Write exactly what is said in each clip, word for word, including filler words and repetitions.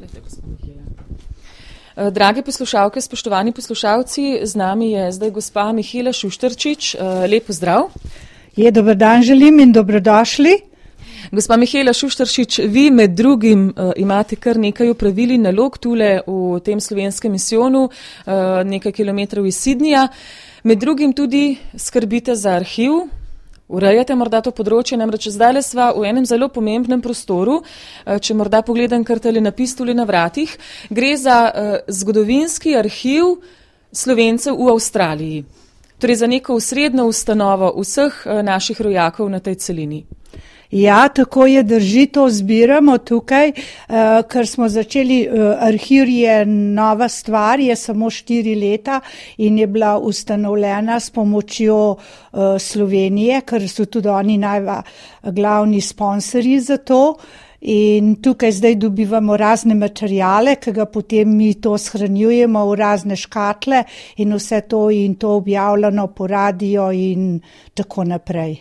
Izvolite, gospod Mihela. Drage poslušalke, spoštovani poslušalci, z nami je zdaj gospa Mihela Šušterčič. Lep pozdrav. Je, dober dan želim in dobrodošli. Gospa Mihela Šušterčič, vi med drugim uh, imate kar nekaj opravili nalog tule v tem slovenskem misijonu, uh, nekaj kilometrov iz Sydneyja. Med drugim tudi skrbite za arhiv, urejate morda to področje, namreč zdaj sva v enem zelo pomembnem prostoru, uh, če morda pogledam kar tale napis tule na vratih, gre za uh, zgodovinski arhiv Slovencev v Avstraliji. Torej za neko osrednjo ustanovo vseh uh, naših rojakov na tej celini. Ja, tako je, drži, to zbiramo tukaj, uh, ker smo začeli, uh, arhiv je nova stvar, je samo štiri leta in je bila ustanovljena s pomočjo uh, Slovenije, ker so tudi oni najva glavni sponsorji za to. In tukaj zdaj dobivamo razne materijale, ki ga potem mi to shranjujemo v razne škatle in vse to in to objavljeno po radio in tako naprej.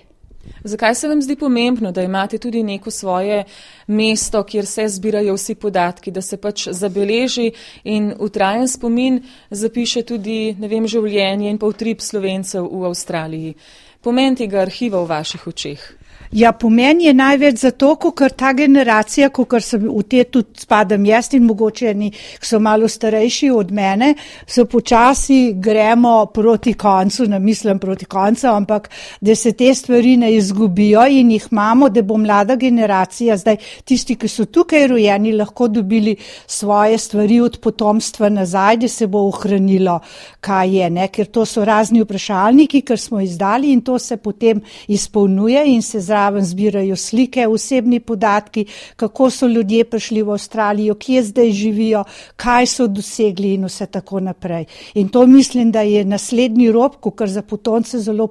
Zakaj se vam zdi pomembno, da imate tudi neko svoje mesto, kjer se zbirajo vsi podatki, da se pač zabeleži in v trajen spomin zapiše tudi, ne vem, življenje in pa utrip Slovencev v Avstraliji? Pomen tega arhiva v vaših očeh? Ja, pomen je največ zato, ker ta generacija, ker sem v te tudi spadam jaz in mogoče eni, ki so malo starejši od mene, so počasi gremo proti koncu, ne mislim proti koncu, ampak da se te stvari ne izgubijo in jih imamo, da bo mlada generacija, zdaj tisti, ki so tukaj rojeni, lahko dobili svoje stvari od potomstva nazaj, da se bo ohranilo, kaj je, ne, ker to so razni vprašalniki, ker smo izdali in to se potem izpolnjuje in se zraven zbirajo slike, osebni podatki, kako so ljudje prišli v Avstralijo, kje zdaj živijo, kaj so dosegli in vse tako naprej. In to mislim, da je naslednji rob, kar za potomce zelo,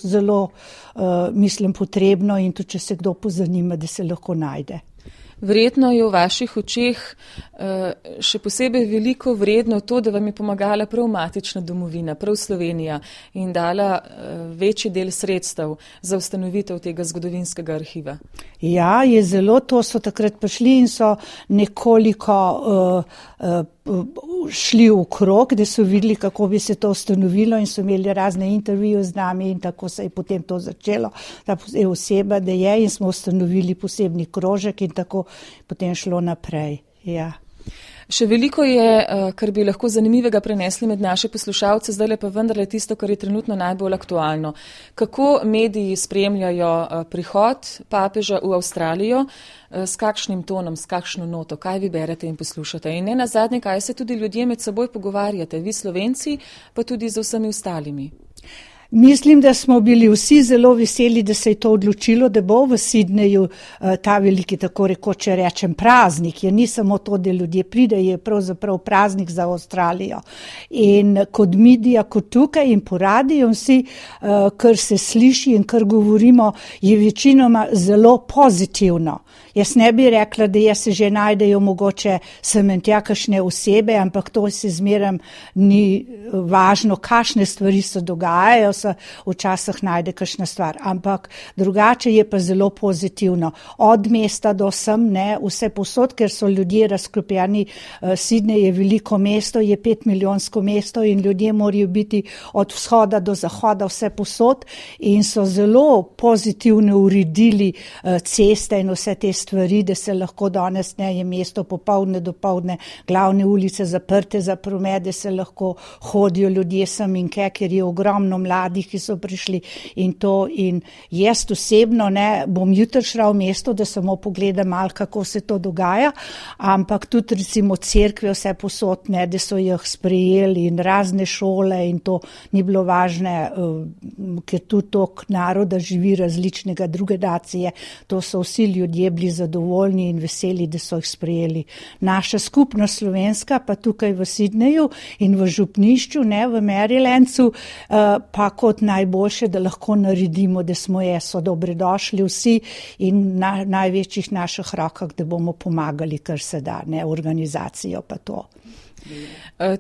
zelo uh, mislim, potrebno in tudi, če se kdo pozanima, da se lahko najde. Verjetno je v vaših očeh še posebej veliko vredno to, da vam je pomagala prav matična domovina, prav Slovenija in dala večji del sredstev za ustanovitev tega zgodovinskega arhiva. Ja, je zelo, to so takrat prišli in so nekoliko uh, uh, šli v krog, da so videli, kako bi se to ustanovilo in so imeli razne intervjuje z nami in tako se je potem to začelo, ta oseba, da je in smo ustanovili posebni krožek in tako potem šlo naprej. Ja. Še veliko je, kar bi lahko zanimivega prenesli med naše poslušalce, zdaj pa vendarle tisto, kar je trenutno najbolj aktualno. Kako mediji spremljajo prihod papeža v Avstralijo, s kakšnim tonom, s kakšno noto, kaj vi berete in poslušate. In ne nazadnje, kaj se tudi ljudje med seboj pogovarjate, vi Slovenci, pa tudi z vsemi ostalimi. Mislim, da smo bili vsi zelo veseli, da se je to odločilo, da bo v Sydneyju ta veliki, tako rekoče rečem, praznik. Je ni samo to, da ljudje pride, je pravzaprav praznik za Avstralijo. In kot medija, kot tukaj in po radiju, vsi, kar se sliši in kar govorimo, je večinoma zelo pozitivno. Jaz ne bi rekla, da jaz se že najdejo mogoče sem in tja kakšne osebe, ampak to se zmeraj ni važno, kakšne stvari se dogajajo, se včasih najde kakšna stvar. Ampak drugače je pa zelo pozitivno. Od mesta do sem, ne, vse posod, ker so ljudje razklopljeni. Sydney je veliko mesto, je pet milijonsko mesto in ljudje morajo biti od vzhoda do zahoda vse posod in so zelo pozitivno uredili ceste in vse te stvari, da se lahko danes ne je mesto popoldne do poldne, glavne ulice zaprte za promet, da se lahko hodijo ljudje sem in ke, ker je ogromno mladih, ki so prišli in to. In jaz osebno ne bom jutri šla v mesto, da samo pogledam malo, kako se to dogaja, ampak tudi recimo cerkve vse posod, ne, da so jih sprejeli in razne šole in to ni bilo važne, ker tudi tok naroda živi različnega druge nacije, to so vsi ljudje bili zadovoljni in veseli, da so jih sprejeli. Naša skupnost slovenska pa tukaj v Sydneyju in v župnišču, ne, v Marylandu, pa kot najboljše, da lahko naredimo, da smo je, so dobrodošli vsi in na največjih naših rokah, da bomo pomagali, kar se da, ne, organizacijo pa to.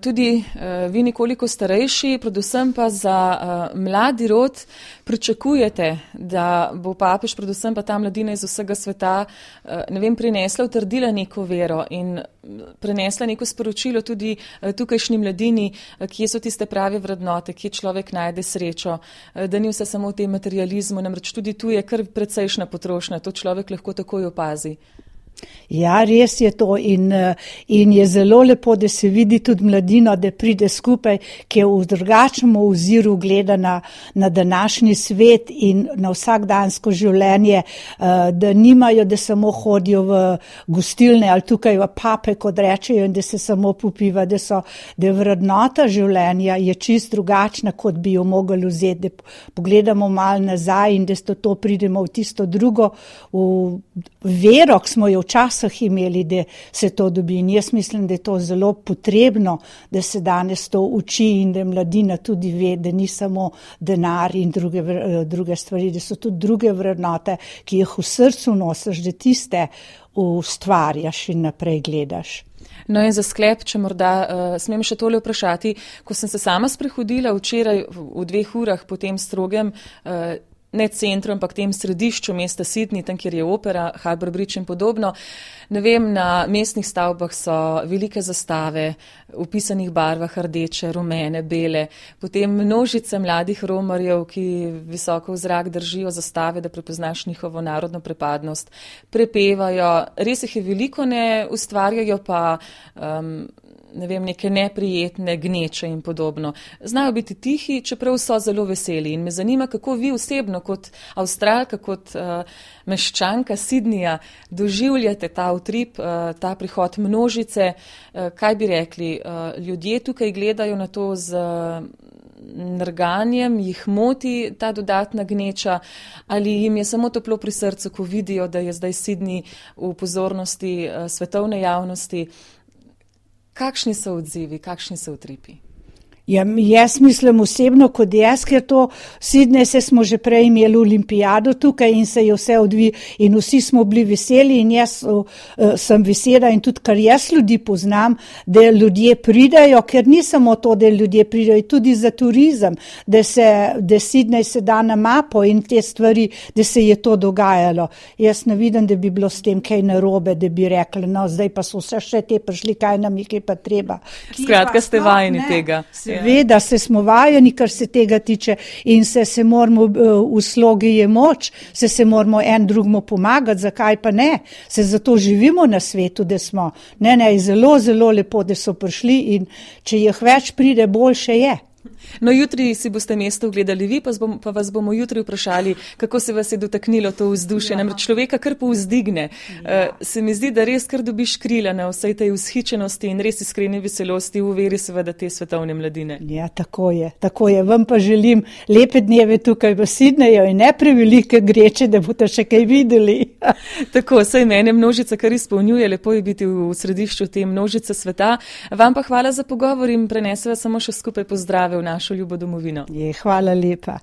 Tudi uh, vi nekoliko starejši, predvsem pa za uh, mladi rod pričakujete, da bo papež, predvsem pa ta mladina iz vsega sveta, uh, ne vem, prinesla, utrdila neko vero in prenesla neko sporočilo tudi uh, tukajšnji mladini, uh, kje so tiste prave vrednote, kje človek najde srečo, uh, da ni vse samo v tem materializmu, namreč tudi tu je kar precejšna potrošnja, to človek lahko takoj opazi. Ja, res je to in, in je zelo lepo, da se vidi tudi mladino, da pride skupaj, ki je v drugačnem oziru gleda na, na današnji svet in na vsakdansko življenje, da nimajo, da samo hodijo v gostilne ali tukaj v pape, kot rečejo, in da se samo popiva, da so, da vrednota življenja je čist drugačna, kot bi jo mogli vzeti, da pogledamo malo nazaj in da to pridemo v tisto drugo, v vero, ki smo jo včasih imeli, da se to dobi. In jaz mislim, da je to zelo potrebno, da se danes to uči in da mladina tudi ve, da ni samo denar in druge, druge stvari, da so tudi druge vrednote, ki jih v srcu nosiš, da tiste ustvarjaš in naprej gledaš. No in za sklep, če morda uh, smem še tole vprašati, ko sem se sama sprehodila včeraj v, v dveh urah po tem strogem uh, ne centru, ampak tem središču mesta Sydney, tam, kjer je opera, Harbour Bridge in podobno. Ne vem, na mestnih stavbah so velike zastave v pisanih barvah, rdeče, rumene, bele, potem množice mladih romarjev, ki visoko v zrak držijo zastave, da prepoznaš njihovo narodno pripadnost, prepevajo, res jih je veliko, ne ustvarjajo pa um, ne vem, neke neprijetne gneče in podobno. Znajo biti tihi, čeprav so zelo veseli. In me zanima, kako vi osebno, kot Avstralka, kot uh, meščanka Sydneyja, doživljate ta utrip, uh, ta prihod množice. Uh, kaj bi rekli? Uh, ljudje tukaj gledajo na to z uh, nerganjem, jih moti ta dodatna gneča, ali jim je samo toplo pri srcu, ko vidijo, da je zdaj Sydney v pozornosti uh, svetovne javnosti. Kakšni so odzivi, kakšni so utripi? Ja, jaz mislim osebno kot jaz, ker to Sydney, se smo že prej imeli olimpijado tukaj in se je vse odvi in vsi smo bili veseli in jaz uh, sem vesela in tudi kar jaz ljudi poznam, da ljudje pridajo, ker ni samo to, da ljudje pridajo, tudi za turizem, da se, da Sydney se da na mapo in te stvari, da se je to dogajalo. Jaz ne vidim, da bi bilo s tem kaj narobe, da bi rekli, no zdaj pa so vse še te prišli, kaj nam je kaj pa treba. Skratka, ste vajeni tega. Seveda se smo vajeni, kar se tega tiče in se se moramo, v slogi je moč, se se moramo en drugmu pomagati, zakaj pa ne? Se zato živimo na svetu, da smo. Ne, ne, zelo, zelo lepo, da so prišli in če jih več pride, boljše je. No, jutri si boste mesto ogledali vi, pa, bom, pa vas bomo jutri vprašali, kako se vas je dotaknilo to vzdušje. Ja. Namreč človeka kar povzdigne. Ja. Uh, se mi zdi, da res kar dobiš krila na vsej tej vzhičenosti in res iskreni veselosti v veri seveda te svetovne mladine. Ja, tako je, tako je. Vam pa želim lepe dneve tukaj v Sydneyju in ne prevelike greče, da boste še kaj videli. Tako, saj mene množica kar izpolnjuje, lepo je biti v središču te množice sveta. Vam pa hvala za pogovor in preneseva samo še skupaj pozdrave v našo ljubo domovino. Je, hvala lepa.